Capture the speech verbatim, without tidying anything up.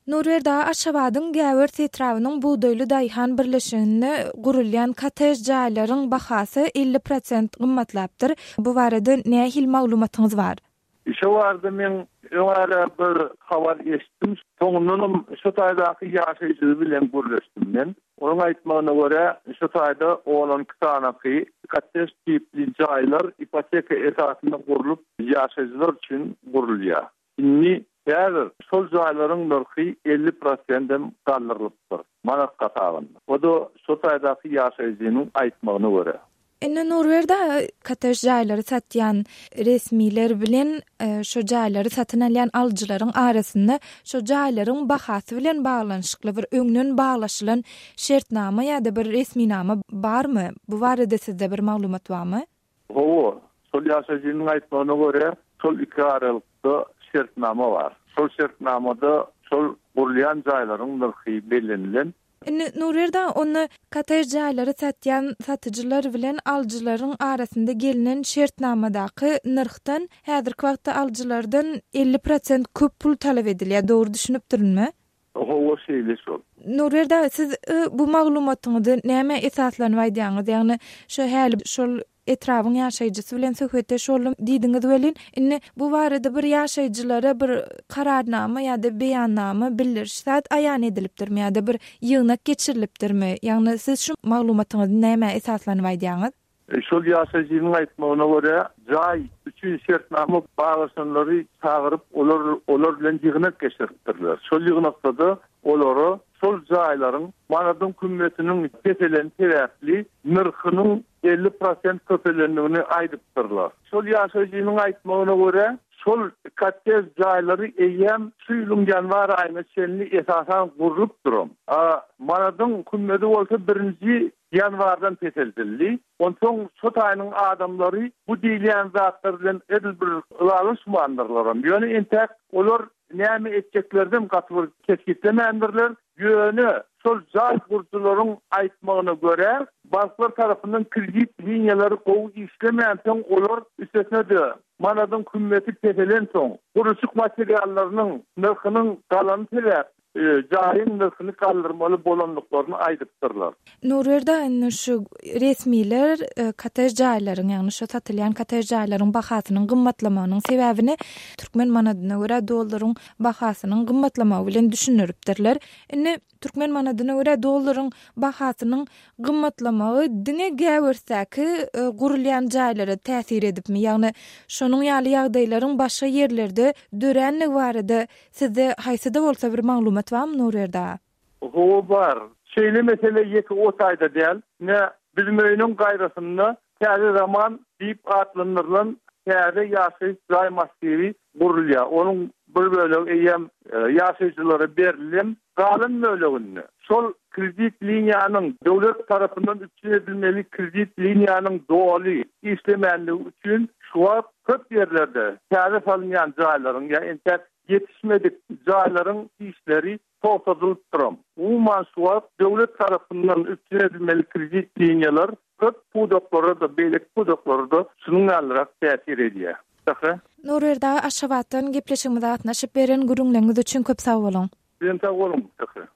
Nurberdi aga, Aşgabadyň Gäwers etrabynyň Bugdaýly daýhan birleşiginde gurulýan kottej jaýlaryň bahasy elli prosent gymmatlapdyr. Bu barada nähili maglumatyňyz bar? Şo barada men öň ara bir habar eşitdim. Soňundanam şo taýdaky ýaşaýjy bilen gürleşdim men. Onuň aýtmagyna görä, şo taýda on iki sanaky kottej tipli jaýlar ipoteka esasynda gurlup, ýaşaýjylar üçin gurulýar. Indi häzir şol jaýlaryň nyrhy elli prosentem galdyrylypdyr manat hasabynda. O-da şo taýdaky ýaşaýjynyň aýtmagyna görä. Indi Nurberdi aga, kottej jaýlary satýan resmiler bilen, e, şo jaýlary satyn alýan alyjylaryň arasynda şo jaýlaryň bahasy bilen baglanyşykly bir öňden baglaşylan şertnama ýa-da bir resminama barmy? Bu barada sizde bir maglumat barmy? Hawa, şol ýaşaýjynyň aýtmagyna görä, şol iki aralykda şertnama bar. Şol şertnamada şol gurulýan jaýlaryň nyrhy bellenilen. Indi Nurberdi aga, onda kottej jaýlary satýan satyjylar bilen alyjylaryň arasynda gelinen şertnamadaky nyrhdan häzirki wagtda alyjylardan elli prosent köp pul talap edilýär. Dogry düşünipdirinmi? Hawa, şeýle şol. Nurberdi aga, siz, e, bu maglumatyňyzy näme esaslanyp aýdýaňyz? Ýagny şo häli şol etrabyň ýaşaýjysy bilen söhbetdeş boldum diýdiňiz welin, indi bu barada bir ýaşaýjylara bir kararnama ýa-da beýannama bildiriş zat aýan edilipdirmi ýa-da bir ýygnak geçirilipdirmi? Ýagny siz şu maglumatyňyzy näme esaslanyp aýdýaňyz? E, şol ýaşaýjynyň aýtmagyna görä, jaý üçin şertnama baglaşanlary çagyryp, olar, olar bilen ýygnak geçiripdirler. Şol ýygnakda-da olara şol jaýlaryň manadyň kümmetiniň peselen sebäpli nyrhynyň elli prosent köpelendigini aýdypdyrlar. Şol ýaşaýjynyň aýtmagyna görä, şol kottej jaýlary eýýäm şu ýylyň ýanwar aýyna çenli esasan gurlup duran. A, manadyň kümmeti bolsa birinji ýanwardan peseldildi. Onsoň şo taýynyň adamlary bu diýilýän zatlar bilen edil bir ylalaşmandyrlar. Ýöne entäk olar näme etjeklerden gaty bir kesgitlemändirler. Ýöne şol jaý gurujylaryň aýtmagyna görä, banklar tarapyndan kredit liniýalary gowy işlemänsoň, olar üstesine-de manadyň kümmeti peselensoň, gurluşyk materiallarynyň nyrhynyň galany sebäp, e, jaýyň nyrhyny galdyrmaly bolandyklaryny aýdypdyrlar. Nurberdi aga, indi şu resmiler, e, kottej jaýlaryň, ýagny şu satylýan kottej jaýlaryň bahasynyň gymmatlamagynyň sebäbini türkmen manadyna görä dollaryň bahasynyň gymmatlamagy bilen düşündiripdirler. Indi türkmen manadyna görä dollaryň bahasynyň gymmatlamagy diňe Gäwersdäki, e, gurulýan jaýlara täsir edipmi? Ýagny şonuň ýaly ýagdaýlaryň başga ýerlerde döränligi barada sizde haýsy-da bolsa bir maglumat barmy Nurberdi aga? Hawa, bar. Şeýle mesele ýeke o taýda däl. Ne bizim öýüniň gaýrasynda Täze Zaman diýip atlandyrylan täze ýaşaýyş jaý massiwi gurulýar. Onuň bir bölegi eýýäm, e, ýaşaýjylara berildi. Galan böleginde şol kredit liniýanyň döwlet tarapyndan üpjün edilmeli kredit liniýanyň doly işlemänligi üçin şu wagt köp ýerlerde täze salynýan jaýlaryň ýa entäk ýetişmedik jaýlaryň işleri togtadylyp duran. Umuman şu wagt döwlet tarapyndan üpjün edilmeli kredit liniýalar köp pudaklara da, beýleki pudaklara da şunuň ýalyrak täsir edýär. Şähre. Nurberdi aga, Aşgabatdan gepleşigimize gatnaşyp beren gürrüňleriňiz üçin köp sag boluň. Sizem sag boluň, Şähre.